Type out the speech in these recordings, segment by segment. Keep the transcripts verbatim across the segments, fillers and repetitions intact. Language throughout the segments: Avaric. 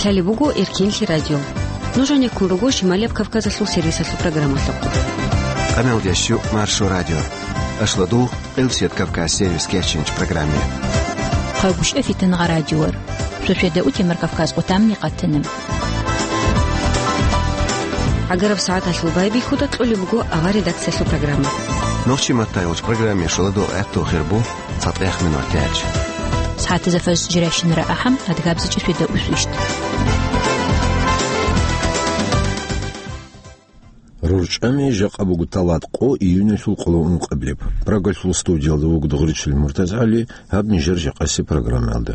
Гьале буго Эркенлъи радио. Нуж гьанеккун руго Шималияб Кавказалъул сервисалъул программалъухъ. Къамел дещу Маршо радио. Ашладу Къилсият Кавказ сервис кечинч программе. Хъагушев Фитангъа радиор. Шошеда утемар Кавказ къутамни къатана. Агараб сагӀаталъул байбихьуда кьолеб буго авар редакциялъул программа. Нохчи маттайолч программе шуладу гӀатту хирбу. ЦатӀех минутач. СагӀатазда фажр жирайщинара ахӀам, адгабзичӀеб шуьда усвищ. РурчӀами жакъа буго талат къо июньалъул къоло ункъабилеб. Прагалъул студиялда вуго Дугъричилин МуртазгӀали, гьаб нижер жакъаси программаялда.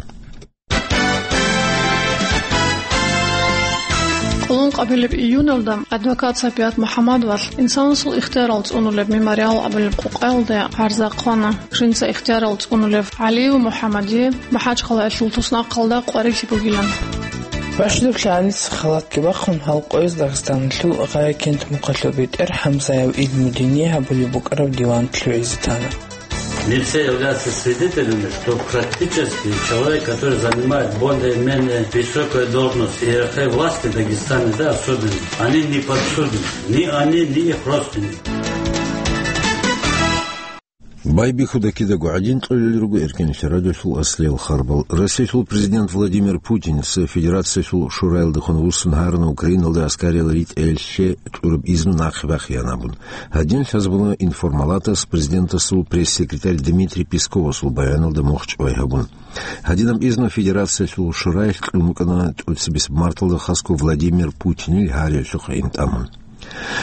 Къоло ункъабилеб июньалда адвокат Сапият МухӀаммадовалъ инсанасул ихтиярал цӀунулеб мемориал абулеб къукъаялде гӀарза хъвана, жинца ихтиярал цӀунулев ГӀалиев МухӀаммадие МахӀачхъалаялъул туснахъалда къварилъи бугилан. Бащдаб лъагӀалица халатги бахъун, гьал къояз Дагъистаналъул Гъая-Кент мухъалъул бетӀер ХӀамзаев Илмудине гьабулеб букӀараб диван лъугӀизе тана. Мне все являются свидетелями, что практически человек, который занимает более-менее высокую должность в иерархии власти Дагестана, да, особенно, они не подсудны. Ни они, ни их родственники. Байбихьуда кидаго гӀадин кьолел руго Эркенлъи радиолъул аслиял харбал. Россиялъул президент Владимир Путинца Федерациялъул Шураялдехун вуссун гьарана Украиналда аскариял ритӀелъе кьураб изну нахъе бахъеян абун. Гьадин лъазабуна информалатас президентасул пресс-секретарь Дмитрий Песковасул баяналда мухь чӀвай гьабун. Гьадинаб изну Федерациялъул Шураялъ кьун букӀана тӀоцебесеб марталда хасго Владимир Путинил гьариялъухъ гӀин тӀамун.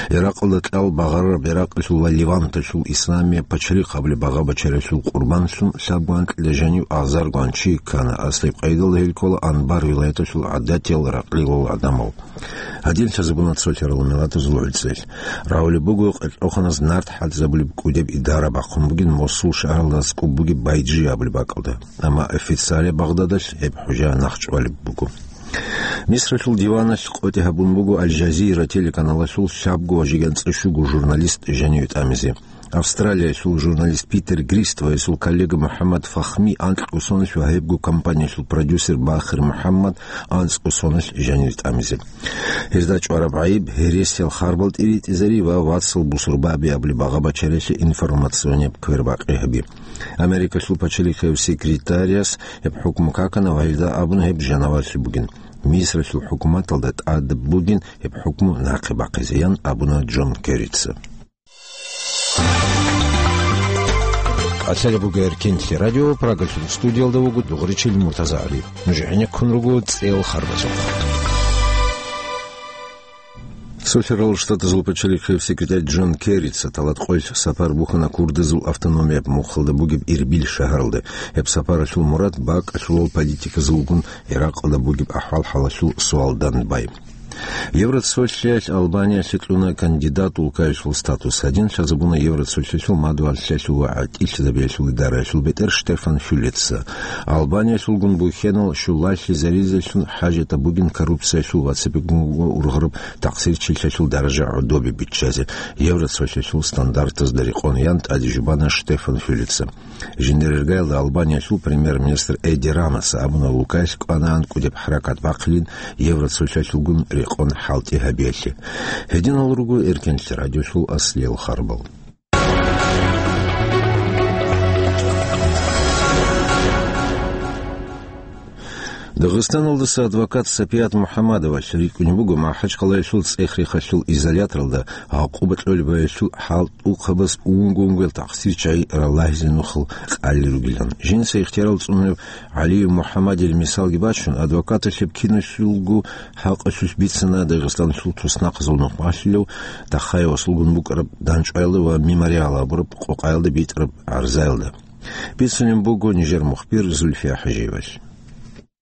Иракъалда кьал багъарараб Иракъалъул ва Леванталъул исламияб пачалихъ абулеб багъа-бачаралъул къурбанлъун лъабго анкьида жанив азарго анчи ккана, аслияб къайдалда гьел ккола Анбар вилаяталъул гӀадатиял ракълилал гӀадамал. Гьадин лъазабуна цолъарал миллатазул гӀуцӀел. Рагьулеб буго, къеркьоханаз нарт хӀалтӀизабулеб кӀудеб идара бахъун бугин Мосул шагьаралда аскӀуб бугеб Байджи абулеб бакӀалда. Амма официалияб Багъдадалъ гьеб хӀужа нахъчӀвалеб буго. Мисралъул диваналъ къотӀи гьабун буго Аль-Жазира телеканалалъул лъабго ва жиган цӀишуго журналист жаниве тӀамизе. Австралиялъул журналист Питер Грист ва гьесул коллега МухӀаммад Фахми анкьго соналъ ва гьебго компаниялъул продюсер Бахир МухӀаммад анцӀго соналъ жанир тӀамизе. Гьезда чӀвараб гӀайиб гьересиял харбал тӀиритӀизари ва вацал бусурбаби абулеб багъа-бачаралъе информационияб квербакъи гьаби. Америкалъул пачалихъав секретаряс гьеб хӀукму какана ва гьелда абуна гьеб жанаварлъи бугин. Мисралъул хӀукуматалда тӀадаб бугин гьеб хӀукму нахъе бахъизе, ян абуна Джон Керрица. Къалъалеб буго Эркенлъи радио, Прагалъул студиялда вуго Дугъричил МуртазагӀали. Нуж гӀенеккун руго цӀел харбазухъ. Цолъарал Штатазул пачалихъев секретарь Джон Керрица талат къоялъ сапар бухьана курдазул автономияб мухъалда бугеб Ирбил шагьаралде. Гьеб сапаралъул мурад бакӀалъулал политиказулгун Иракъалда бугеб ахӀвал-хӀалалъул суалда бай. Евроцолъиялъ Албаниялъе кьуна кандидат улкаялъул статус. Гьадин лъазабуна Евроцолъиялъул мадугьаллъиялъул ва гӀатӀилъизабиялъул идараялъул бетӀер Штефан Фюлеца. Албаниялъулгун бухьенал щулалъизаризелъун хӀажатаб бугин коррупциялъул ва цебегун ургъараб такъсирчилъиялъул даража гӀодобе биччазе, Евроцолъиялъул стандартазда рекъон, ян тӀаде жубана Штефан Фюлеца. Жиндирергайилда Албаниялъул премьер-министр Эди Рамоса абуна, улкаялъ кӀванаан кӀудеб хӀаракат бахъилин Евроцолъиялъулгун рекъон хӀалтӀи гьабиялъе. Гьединал руго Эркенлъи радиолъул аслиял харбал. Дагъистаналдаса адвокат Сапият МухӀаммадовалъ рикӀкӀунеб буго МахӀачхъалаялъул цӀех-рехалъул изоляторалда гӀакъуба кьолеб баялъул хӀалтӀухъабаз унго-унгоял такъсирчагӀи ралагьизе нухал къалли ругилан. Жинца ихтиярал цӀунарав ГӀалиев МухӀаммадил мисалги бачун, адвокаталъеб киналъулго хӀакъалъулъ бицана Дагъистаналъул туснахъазул нухмалъулев Тахаевасулгун букӀараб ДанчӀваялда ва Мемориал абураб къукъаялда битӀараб гӀарзаялда. Бицунеб буго нижер мухбир Зульфия ХӀажиевалъ.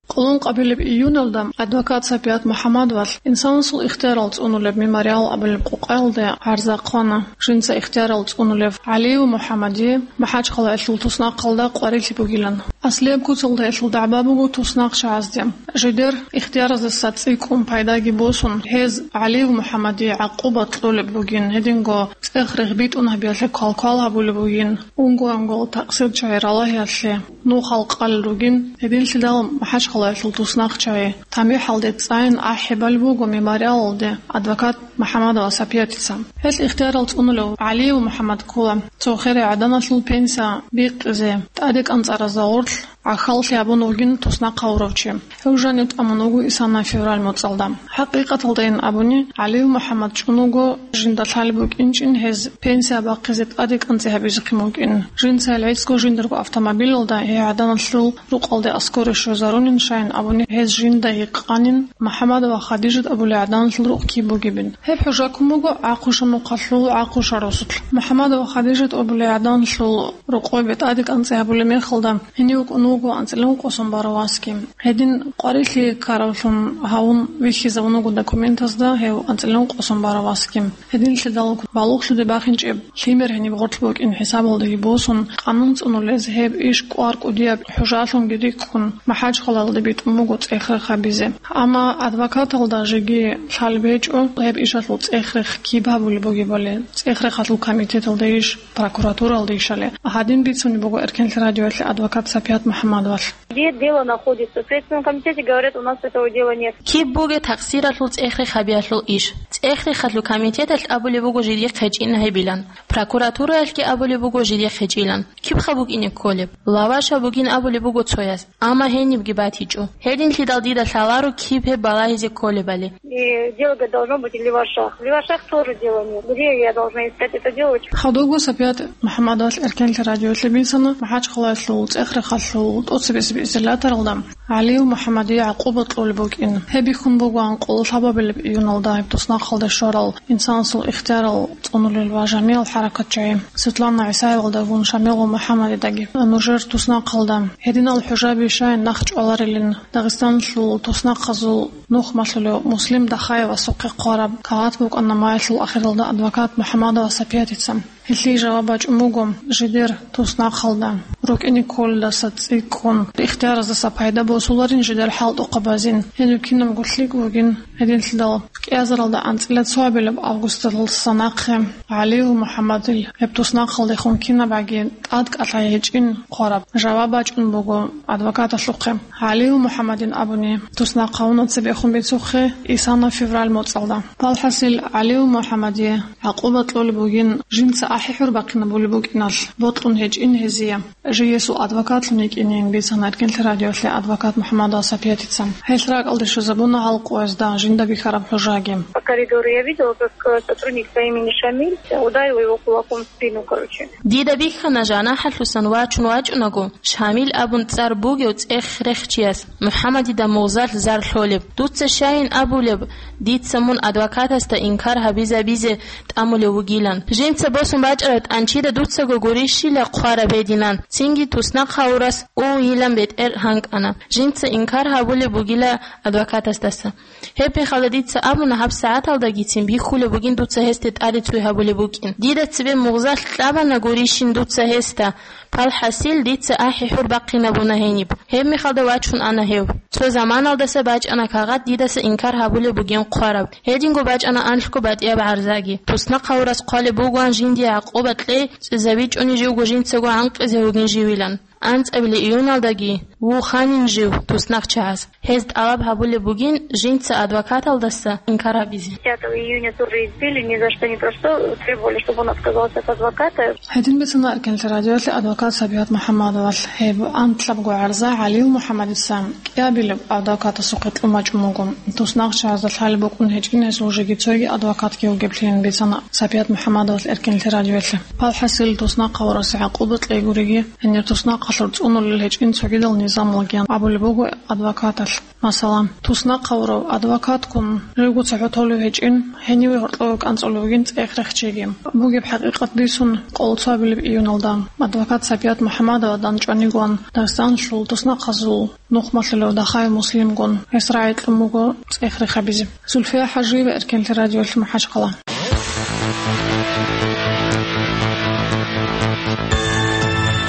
Къулун къабилеб июналда адвокат Сапият МухӀаммадовалъ инсанасул ихтиярал цӀунулеб Мемориал абулеб къукъаялде гӀарза хъвана, жинца ихтиярал цӀунулев ГӀалиев МухӀаммадие МахӀачхъалаялъул туснахъалда къварилъи бугилан. Аслияб куцалда гьелъул дагӀба буго туснахъчагӀазде. Жидер ихтияраздаса цӀикӀкӀун пайдаги босун, гьез ГӀалиев МухӀаммадие гӀакъуба кьолеб бугин, гьединго цӀех регъбитӀун гьабиялъе квалквал гьабулеб бугин, унго-унгоял такъсирчагӀи ралагьиялъе. нухал къалел ругин, гьединлъидал МахӀачхъалаялъул туснахъчагӀи тамихӀалде цӀайин ахӀи балеб буго мемориалалде адвокат МухӀаммадова Сапиятица. Гьелъ ихтиярал цӀунулев ГӀалиев МухӀаммад ккола цо херай гӀаданалъул пенсия бикъизе, тӀаде кӀанцӀаразда гъорлъ гӀахьаллъи гьабун вугин туснахъ гьавурав чи. Гьев жанив тӀамун вуго исана февраль моцӀалда. ХӀакъикъаталдайин абуни, ГӀалиев МухӀаммад чӀун вуго жинда лъалеб букӀинчӀин гьез пенсия бахъизе тӀаде кӀанцӀи гьабизехъин букӀин. Жинца гьел гӀицӀго жиндирго автомобилалда гьей гӀаданалъул рукъалде аскоре щвезарунин, щайин абуни гьез жинда гьикъанин, МухӀаммадова Хадижат абулей гӀаданалъул рукъ киб бугебин. Гьеб хӀужа ккун буго Ахъуша мухъалъул Ахъуша росулъ. МухӀаммадова Хадижат абулей гӀаданалъул рокъобе тӀаде кӀанцӀи гьабулеб мехалда, гьенив вукӀун вуго анцӀила ункъо сон барав васги. Гьедин къварилъи ккаравлъун гьавун вихьизавун вуго документазда гьев анцӀила ункъо сон барав васги. Гьединлъидал балугълъуде бахинчӀеб лъимер гьениб гъорлъ букӀин хӀисабалдаги босун, къанун цӀунулез гьеб иш кӀвар кӀудияб хӀужалъунги рикӀкӀун, МахӀачхъалаялде битӀун буго цӀех-рех гьабизе. Амма адвокаталда жеги лъалеб гьечӀо гьеб ишалъул цӀех-рех киб гьабулеб бугебали. ЦӀех-рехалъул комитеталда иш, прокуратуралда ишали. Гьадин бицунеб буго Эркенлъи радиоялъе адвокат Сапият МухӀаммадовалъ. Где дело находится? В Следственном комитете говорят, у нас этого дела нет. Киб бугеб такъсиралъул цӀех-рех гьабиялъул иш? ЦӀех-рехалъул комитеталъ абулеб буго жидехъ гьечӀин гьебилан. Прокуратураялъги абулеб буго жидехъ гьечӀилан. Кибха букӀине кколеб? Лаваша бугин абулеб буго цояс. Амма гьенибги батичӀо. Гьединлъидал дида лъаларо киб гьеб балагьизе кколебали. И дело, говорит, должно быть в Левашах. В Левашах тоже дела нет. Где я должна искать эту девочку? Хадубго Сапият МухӀаммадовалъ Эркенлъи радиоялъе бицана МахӀачхъалаялъул цӀех-рехалъул тӀоцебесеб изоляторалда ГӀалиев МухӀаммадие гӀакъуба кьолеб букӀин. Гьеб бихьун бугоан къоло лъабабилеб июналда гьеб туснахъалде щварал инсанасул ихтиярал цӀунулел ва жамигӀал хӀаракатчагӀи Светлана ГӀисаевалдагун Шамилгъу МухӀаммадидаги. Нужер туснахъалда гьединал хӀужаби щай нахъ чӀваларилин, Дагъистаналъул туснахъазул нухмалъулев Муслим Дахаевасухъе хъвараб кагъат букӀана маялъул ахиралда адвокат МухӀаммадова Сапиятица. Гьелъие жаваб бачӀун буго, жидер туснахъалда рукӀине кколелдаса цӀикӀкӀун, ихтияраздаса пайда босуларин жидер хӀалтӀухъабазин. Гьенив кинабго лъикӀ вугин, гьединлъидал кӀиазаралда анцӀила цоабилеб августалдаса нахъе ГӀалиев МухӀаммадил гьеб туснахъалдехун кинабгӀаги тӀадкӀалъай гьечӀин хъвараб жаваб бачӀун буго адвокаталъухъе. ГӀалиев МухӀаммадин абуни, туснахъ гьавуна цебехун бицухъе исана февраль моцӀалда. Палхасил ГӀалиев МухӀаммадие гӀакъуба кьолеб бугин, жинца ахӀи-хӀур бахъинабулеб букӀиналъ, бокьун гьечӀин гьезие. Жиесул адвокатлъун йикӀинин бицана Эркенлъи радиоялъе адвокат МухӀаммадова Сапиятица. Гьелъ ракӀалде щвезабуна гьал къоязда жинда бихьараб хӀужаги. По коридору я видела, как, э, сотрудник по имени Шамиль ударил его кулаком в спину, короче. Дида бихьана, жанахӀалъусан вачун вачӀунаго, Шамил абун цӀар бугев цӀех-рехчияс МухӀаммадида мугъзалъ зар лъолеб. Дуца щайин абулеб, дица мун адвокатасда инкар гьабизабизе тӀамулев вугилан. Жинца босун бачӀараб тӀанчида дуцаго гурищила хъвараб гьединан, цинги туснахъ гьавурас увилан бетӀер гьанкӀана. Жинца инкар гьабулеб бугила адвокатасдаса. Гьеб мехалда дица абуна, гьаб сагӀаталдагицин бихьулеб бугин дуца гьесде тӀаде цой гьабулеб букӀин. Дида цебе мугъзалъ кьабана гурищин дуца гьесда. Палхасил дица ахӀи-хӀур бахъинабуна гьениб. Гьеб мехалда вачун ана гьев. Цо заманалдаса бачӀана кагъат дидаса инкар гьабулеб бугин хъвараб. Гьединго бачӀана анлъго батӀияб гӀарзаги. Туснахъ гьавурас хъвалеб бугоан жиндие гӀакъуба кьей, цӀезабичӀони живго жинцаго гӀанкъизе вугин живилан. АнцӀабилеб июналдаги вуханин жив туснахъ чагӀаз. Гьез тӀалаб гьабулеб бугин жинца адвокаталдаса инкар гьабизе. Пятого июня тоже избили, ни за что, ни про что, требовали, чтобы он отказался от адвоката. Гьедин бицана Эркенлъи радиоялъе адвокат Сапият МухӀаммадовалъ. Гьеб анлъабго гӀарза ГӀалиев МухӀаммадица кӀиабилеб адвокатасухъе кьун бачӀун буго. Туснахъ чагӀазда лъалеб букӀун гьечӀин гьесул жеги цойги адвокатги вугеблъин бицана Сапият МухӀаммадовалъ Эркенлъи радиоялъе. Палхасил туснахъ гьавурасе гӀакъуба кьей гуриги, гьенир туснахъалъур цӀунулел гьечӀин цогидал низамалгиян абулеб буго адвокаталъ. Масала, туснахъ гьавурав адвокатккун живго цохӀо толев гьечӀин, гьениве гьоркьове кӀанцӀулев вугин цӀех-рехчиги. Бугеб хӀакъикъат бицун, къоло цоабилеб июналда адвокат Сапият МухӀаммадовадан чӀванигоан Дагъистаналъул туснахъазул нухмалъулев Дахаев Муслимгун гьес рагӀи кьун буго цӀех-рех гьабизе. Зульфия ХӀажиева, Эркенлъи радиоялъ, МахӀачхъала.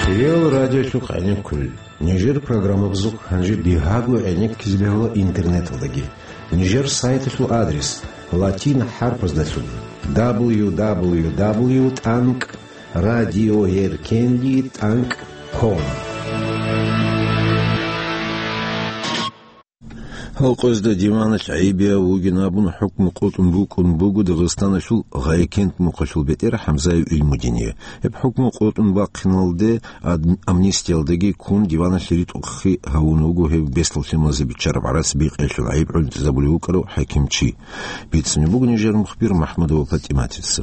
Хириял радиолъухъ гӀенеккулел. Нижер программабазухъ гьанже дигьаго гӀенеккизе бегьула интернеталдаги. Нижер сайталъул адрес латин хӀарпаздалъун: дабл ю дабл ю дабл ю тӀанкӀ радиоэркенли тӀанкӀ ком. Гьалкъоязда диваналъ гӀайибияв вугин абун хӀукму къотӀун букӀун буго Дагъистаналъул Гъайкент мухъалъул бетӀер ХӀамзаев Илмудине. Гьеб хӀукму къотӀун бахъиналде ад-, амнистиялдаги ккун диваналъ ритӀухълъи гьавун вуго гьев бесдал лъималазе биччараб гӀарац бикъиялъул гӀайиб гӀунтӀизабулев вукӀарав хӀакимчи. Бицунеб буго нижер мухбир МахӀмудова ПатӀиматица.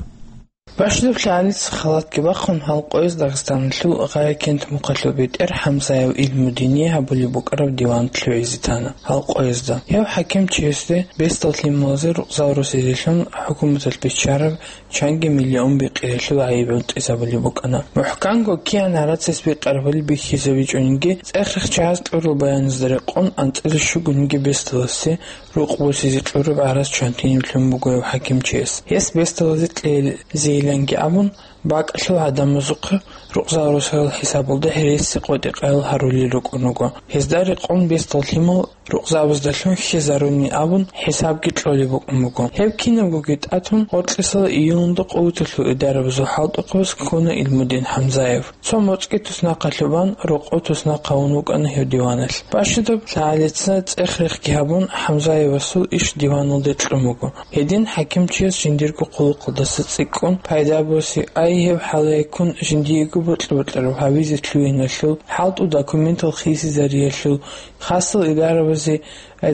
Бащдаб лъагӀалица халатги бахъун, гьалкъояз Дагъистаналъул Гъайкент мухъалъул бетӀер ХӀамзаев Илмудине гьабулеб букӀараб диван лъугӀизе тана. Гьалкъоязда гьев хӀакимчиясде бесдал лъималазе рукъзал росизелъун хӀукуматалъ биччараб чанги миллион бикъиялъул гӀайиб гӀунтӀизабулеб букӀана. МухӀканго кигӀан гӀарацас бикъарабали бихьизабичӀониги, цӀех-рех чагӀаз кьурал баяназда рекъон анцӀила щугониги бесдаласе рукъ босизе кьураб гӀарац чантинив лъун буго гьев хӀакимчияс. Гьес бесдалазе кьезейиланги абун, бакӀалъул гӀадамазухъе рукъзал росарал хӀисабалда гьереси къотӀи-къаял гьарулел рукӀун руго. Гьезда рекъон бесдал лъимал рукъзабаздалъун хьезаруни абун хӀисабги кьолеб букӀун буго. Гьеб кинабгоги тӀатун, гъоркьисал июлалда къуваталъул идарабазул хӀалтӀухъабаз ккуна Илмудин ХӀамзаев. Цо моцӀги туснахъалъубан, рокъов туснахъ гьавун вукӀана гьев диваналъ. Бащдаб лъагӀалица цӀех-рехги гьабун, ХӀамзаевасул иш диваналде кьун буго. Гьедин хӀакимчияс жиндирго хъулухъалдаса цӀикӀкӀун пайда боси, ай гьеб хӀалаяккун жиндиего бокьа-бокьараб гьабизе лъугьиналъул, хӀалтӀу документал хисизариялъул, хасал идарабазе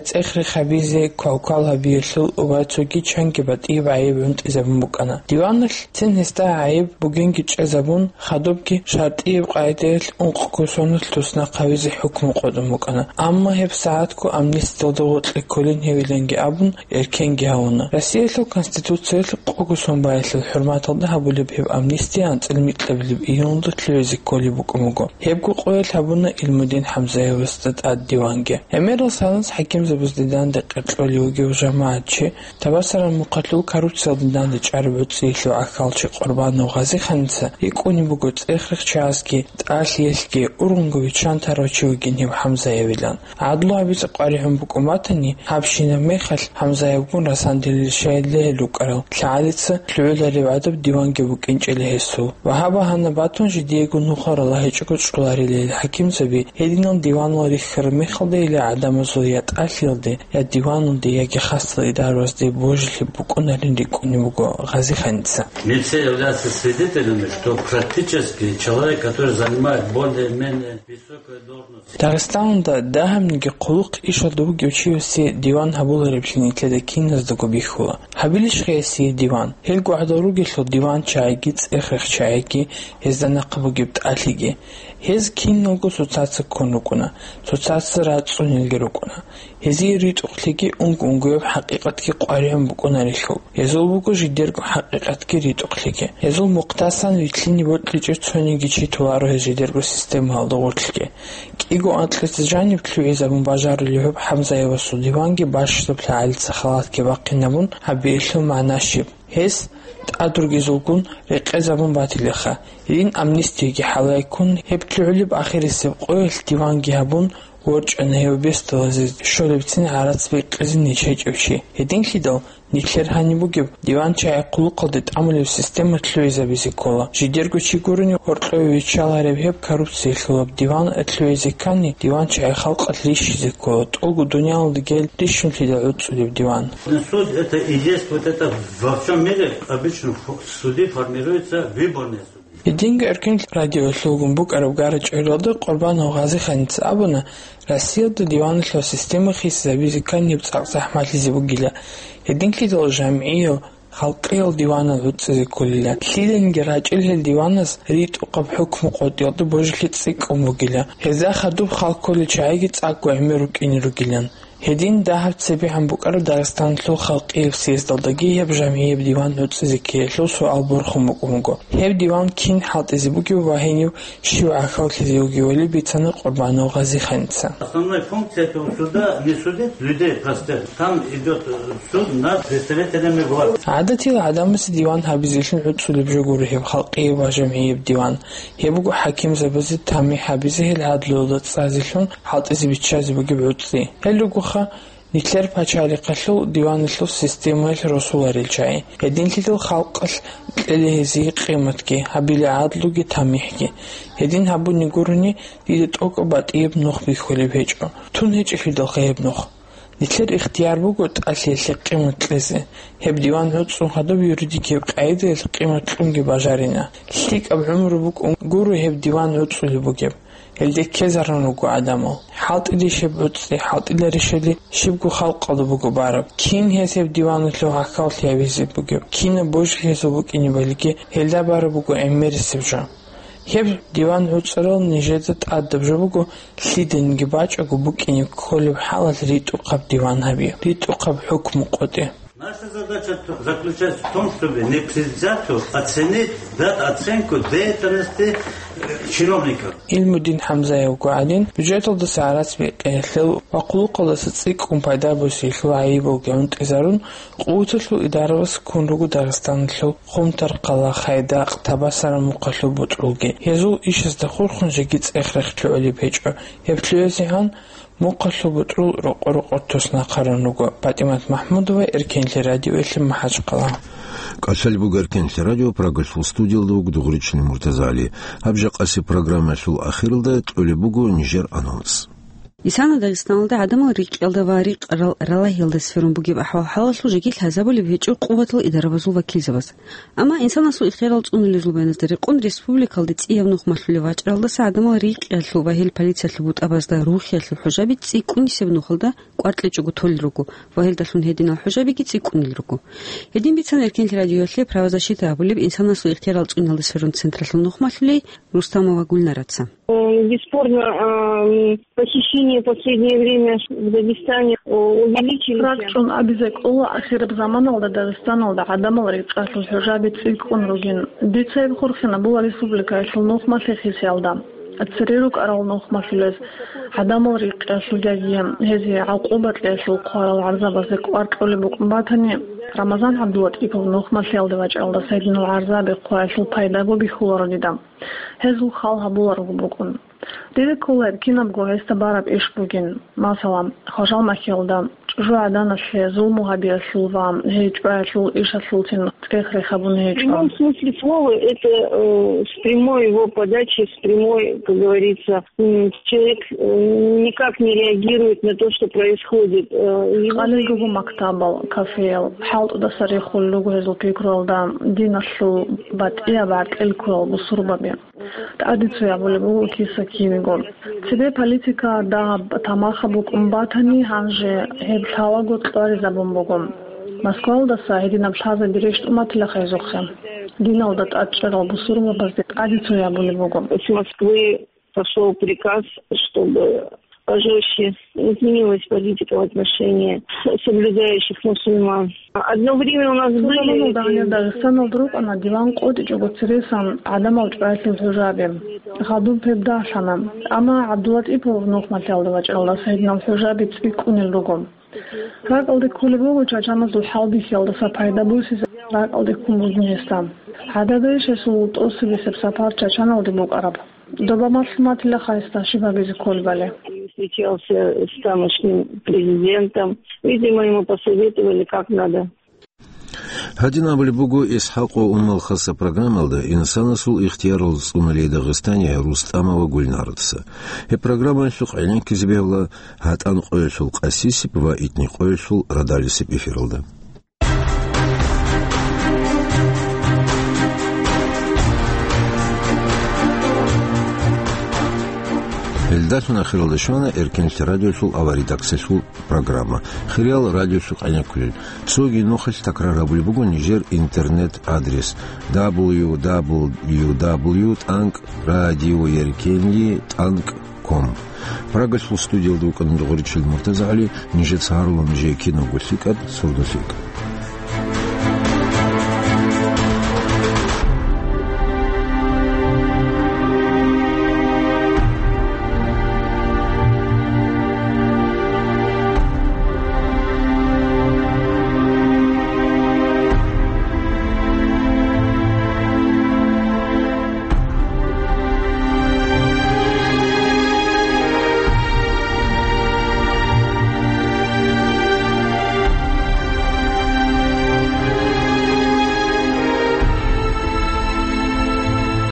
цӀех-рех гьабизе, квалквал гьабиялъул ва цоги чанги батӀияб гӀайиб гӀунтӀизабун букӀана. Диваналъ цин гьесда гӀайиб бугинги чӀезабун, хадубги шартӀияб къагӀидаялъ ункъго соналъ туснахъ гьавизе хӀукму къотӀун букӀана. Амма гьеб сагӀатго амнистиялда гъоркье кколин гьевиланги абун, эркенги гьавуна. Россиялъул Конституциялъ къого сон баялъул хӀурматалда гьабулеб гьеб амнистия анцӀила микьабилеб июнда лъугӀизе кколеб букӀун буго. Гьебго къоялъ гьабуна Илмудин ХӀамзаевасда тӀад диванги. ГӀемерал санас хӀакимзабазде данде къеркьолев вугев жамагӀатчи, Табасаран мухъалъул коррупциялда данде чӀараб гӀуцӀиялъул гӀахьалчи Къурбанов Гъазиханица рикӀкӀунеб буго цӀех-рех чагӀазги, тӀалъиялъги ургъунго виччан тарав чи вугин гьев ХӀамзаевилан. ГӀадлу гьабизе къваригӀун букӀун батани, гьабщинаб мехалъ ХӀамзаевгун расандилел щайилла гьел рукӀарал лъагӀалица лъугӀулареб гӀадаб диванги букӀинчӀила гьесул. Ва гьаб багьана батун, жидеего нухал ралагьичӀого чӀоларила гьел хӀакимзаби, гьединал диванал рихьараб мехалда гьеле гӀадамазул я тӀалъиялде, я диваналде, яги хасал идарабазде божилъи букӀунарин рикӀкӀунеб буго Гъазиханица. Мы все являемся свидетелями, что практически человек, который занимает более-менее высокую должность, Дагъистаналда дагьабниги хъулухъ ишалда вугев чиясе диван гьабулареблъи нилъеда киназдаго бихьула. Гьабилищ гьесие диван? Гьелго гӀадал ругелъул диван чагӀиги цӀех-рех чагӀиги, гьезда нахъа бугеб тӀалъиги. Гьез киналго цоцаца ккун рукӀуна, цоцаца рацӀцӀунелги рукӀуна. Гьезие ритӀухълъиги унго-унгояб хӀакъикъатги къваригӀун букӀунарелъул. Гьезул буго жидерго хӀакъикъатги ритӀухълъиги. Гьезул мухъдасан вилълъине бокьичӀеб цониги чи толаро гьез жидерго системаялда гъорлъги. КӀиго анкьица жаниб лъугӀизабун бажарулев гьеб ХӀамзаевасул диванги бащдаб лъагӀалица халатги бахъинабун гьабиялъул магӀна щиб? Гьес тӀад ругезулгун рекъезабун батилаха. Гьедин амнистияги хӀалайккун, гьеб лъугӀулеб ахирисеб къоялъ диванги гьабун, ворчӀана гьев бесдалазе щолебцин гӀарац бекъизе ниж гьечӀев чи. Гьединлъидал, нилъер гьаниб бугеб диван чагӀи хъулухъалде тӀамулеб система лъугӀизабизе ккола. Жидерго чи гурони, гьоркьове виччалареб гьеб коррупциялъулаб диван лъугӀизе ккани, диван чагӀи халкъалъ рищизе ккола, тӀолго дуниялалда гел рищунлъидал гӀуцӀулеб диван. Суд — это и есть вот это во всем мире обычно фо-, суды формируются выборные суды. Гьединго Эркин радиоялъулгун букӀараб гара-чӀваралда Къурбанов Гъазиханица абуна, Россиялда диваналъул система хисизабизе ккани гьеб цӀакъ захӀмалъизе бугила. Гьединлъидал жамгӀиял, халкъиял диванал гӀуцӀизе кколила. Лъиданиги рачӀел гьел диваназ ритӀухъаб хӀукму къотӀиялда божилъи цӀикӀкӀун бугила. Гьезда хадуб хал кколел чагӀиги цӀакъго гӀемер рукӀине ругилан. Гьедин дагьаб цебегӀан букӀараб Дагъистаналъул халкъияб съездалдаги гьеб жамгӀияб диван гӀуцӀизе ккеялъул суал борхун букӀун буго. Гьеб диван кин хӀалтӀизе бугев ва гьенив щив гӀахьаллъизе вугевали бицана Къурбанов Гъазиханица. Основная функция этого суда — не судить людей простых. Там идёт, э, суд над представителями власти. ГӀадатил гӀадамазе диван гьабизелъун гӀуцӀулеб жо гуро гьеб халкъияб ва жамгӀияб диван. Гьеб буго хӀакимзабазе тамихӀ гьабизе, гьел гӀадлуялда цӀазелъун хӀалтӀизе биччазе бугеб гӀуцӀи. Гьел ругоха нилъер пачалихъалъул диваналъул системаялъ росуларел чагӀи. Гьединлъидал халкъалъ кьела гьезие къиматги, гьабила гӀадлуги тамихӀги. Гьедин гьабуни гурони, дида тӀокӀаб батӀияб нух бихьулеб гьечӀо. Тун гьечӀелъидалха гьеб нух. Нилъер ихтияр буго тӀалъиялъе къимат кьезе. Гьеб диван гӀуцӀун гьадаб юридикияб къагӀидаялъ къимат кьунги бажарина. ЛъикӀаб гӀумру букӀун гуро гьеб диван гӀуцӀулеб бугеб. Гьелде ккезарун руго гӀадамал. ХӀалтӀилищ гьеб гӀуцӀи, хӀалтӀиларищали щибго халкъалда буго бараб. Кин гьес гьеб диваналъул гӀахьаллъи гьабизе бугеб? Кинаб божи гьезул букӀинебалиги гьелда бараб буго гӀемерисеб жо. Гьеб диван гӀуцӀарал нижеда тӀадаб жо буго, лъиданиги бачӀого букӀине кколеб хӀалалъ ритӀухъаб диван гьабе, ритӀухъаб хӀукму къотӀе. Наша задача заключается в том, чтобы не предвзято оценить, дать оценку деятельности, э, чиновников. ГӀилмудин ХӀамзаевго гӀадин, бюджеталдаса гӀарац бекьиялъул ва хъулухъалдаса цӀикӀкӀун пайда босиялъул гӀайибалги гӀунтӀизарун, къуваталъул идараваз ккун руго Дагъистаналъул Хъумтар-Хъала, Хайдакъ, Табасара мухъалъул бутӀрулги. Гьезул ишазда хурхун жеги цӀех-рех лъугӀулеб гьечӀо. Гьеб лъугӀизегӀан мухъалъул бутӀрул рокъо-рокъор туснахъарун руго. ПатӀимат МахӀмудова, Эркенлъи радиоялъе МахӀачхъала. КӀалъалеб буго Эркенлъи радио, Прагалъул студиялда вуго Дугъричилин МуртазагӀали. Гьаб жакъасеб программаялъул ахиралда кьолеб буго нижер анонс. Исана Дагъистаналда гӀадамал рикӀкӀалда ва рикъарал ралагьиялда сверун бугеб ахӀвал-хӀалалъул жеги лъазабулеб гьечӀо къуватал идарабазул вакилзабаз. Амма инсанасул ихтиярал цӀунулел зулбаназда рекъон республикалде цӀияб нух малъулев вачӀаралдаса гӀадамал рикӀкӀалъул ва гьел полициялъул бутӀабазда рухиялъул хӀужаби цӀикӀкӀунисеб нухалда кӀвар кьечӀого толел руго ва гьелдалъун гьединал хӀужабиги цӀикӀкӀунел руго. Гьедин бицана Эркенлъи радиоялъе правозащита гьабулеб инсанасул ихтиярал цӀунулел сверун централъул нухмалъулей Рустамова Гульнараца. Э, бесспорно, э, похищения в последнее время в Дагестане, э, увеличились. РакӀчӀун абизе кӀола, ахираб заманалда Дагъистаналда гӀадамал рикӀкӀалъул хӀужаби цӀикӀкӀун ругин. Дица гьеб хурхинабула республикаялъул нухмалъи хисиялда. Цере рукӀарал нухмалъулез гӀадамал рикӀкӀалъул жаги гьезие гӀакъуба кьеялъул хъварал гӀарзабазде кӀвар кьолеб букӀун батани, Рамазан ГӀабдулатӀипов нухмалъиялде вачӀаралда гьединал гӀарзаби хъваялъул пайдаго бихьуларо дида. Гьезул хал гьабуларого букӀун. Дида ккола гьеб кинабго гьесда бараб иш бугин. Масала, Хважал махьиялда чӀужугӀаданалъе зулму гьабиялъул ва гьей чӀваялъул ишалъулцин цӀех-рех гьабун В гьечӀо. Прямом смысле слова, это, э, с прямой его подачи, с прямой, как говорится, м, человек, э, никак не реагирует на то, что происходит. Э, его Къалилго буго мактабал, кафеял, хӀалтӀудаса рехулел руго гьезул пикруялда диналъул батӀияб гӀаркьел ккурал бусурбаби. ТӀаде цоябулеб буго киса-кинего. Цебе политика дагьаб тамахаб букӀун батани, гьанже гьеб лъалаго кьваризабун буго. Москвалдаса гьединаб лъазаби рещтӀунматилаха гьезухъе. Диналда тӀадчӀарал бусурбабазде тӀаде цоябулеб буго. С Москвы пошёл приказ, чтобы пожёстче изменилась политика в отношении соблюдающих мусульман. Одно время у нас были Цо заманалда гьанир Дагъистаналда рукӀана диван къотӀичӀого цересан гӀадамал чӀваялъул хӀужаби. Гъадуб гьеб дагьлъана. Амма ГӀабдулатӀипов нухмалъиялда вачӀаралдаса гьединал хӀужаби цӀикӀкӀунел руго. РакӀалде кколеб буго чачаназул хӀалбихьиялдаса пайда босизе ракӀалде ккун бугин гьесда. ГӀадада иш гьесул тӀоцебесеб сапар Чачаналде букӀараб. Доба малъуматилаха гьесда щиб гьабизе кколебали. Встречался с тамошним президентом. Видимо, ему посоветовали, как надо. Гьадин абулеб буго ИсхӀакъ ва Умал хаса программалда инсанасул ихтиярал цӀунулей Дагъистания Рустамова Гульнараца. Гьеб программаялъухъ гӀенеккизе бегьула гьатӀан къоялъул къасисеб ва итни къоялъул радалисеб эфиралда. Гьелдалъун ахиралда щвана Эркенлъи радиолъул аваридаксалъул программа. Хириял радиолъухъ гӀенеккулел. Цоги нухалъ такрар гьабулеб буго нижер интернет-адрес: дабл ю дабл ю дабл ю тӀанкӀ радио Эркенлъи тӀанкӀ ком. Прагалъул студиялда вукӀана Дугъричил МуртазагӀали, нижеца гьарула нижее кинабго лъикӀаб, сордо лъикӀ.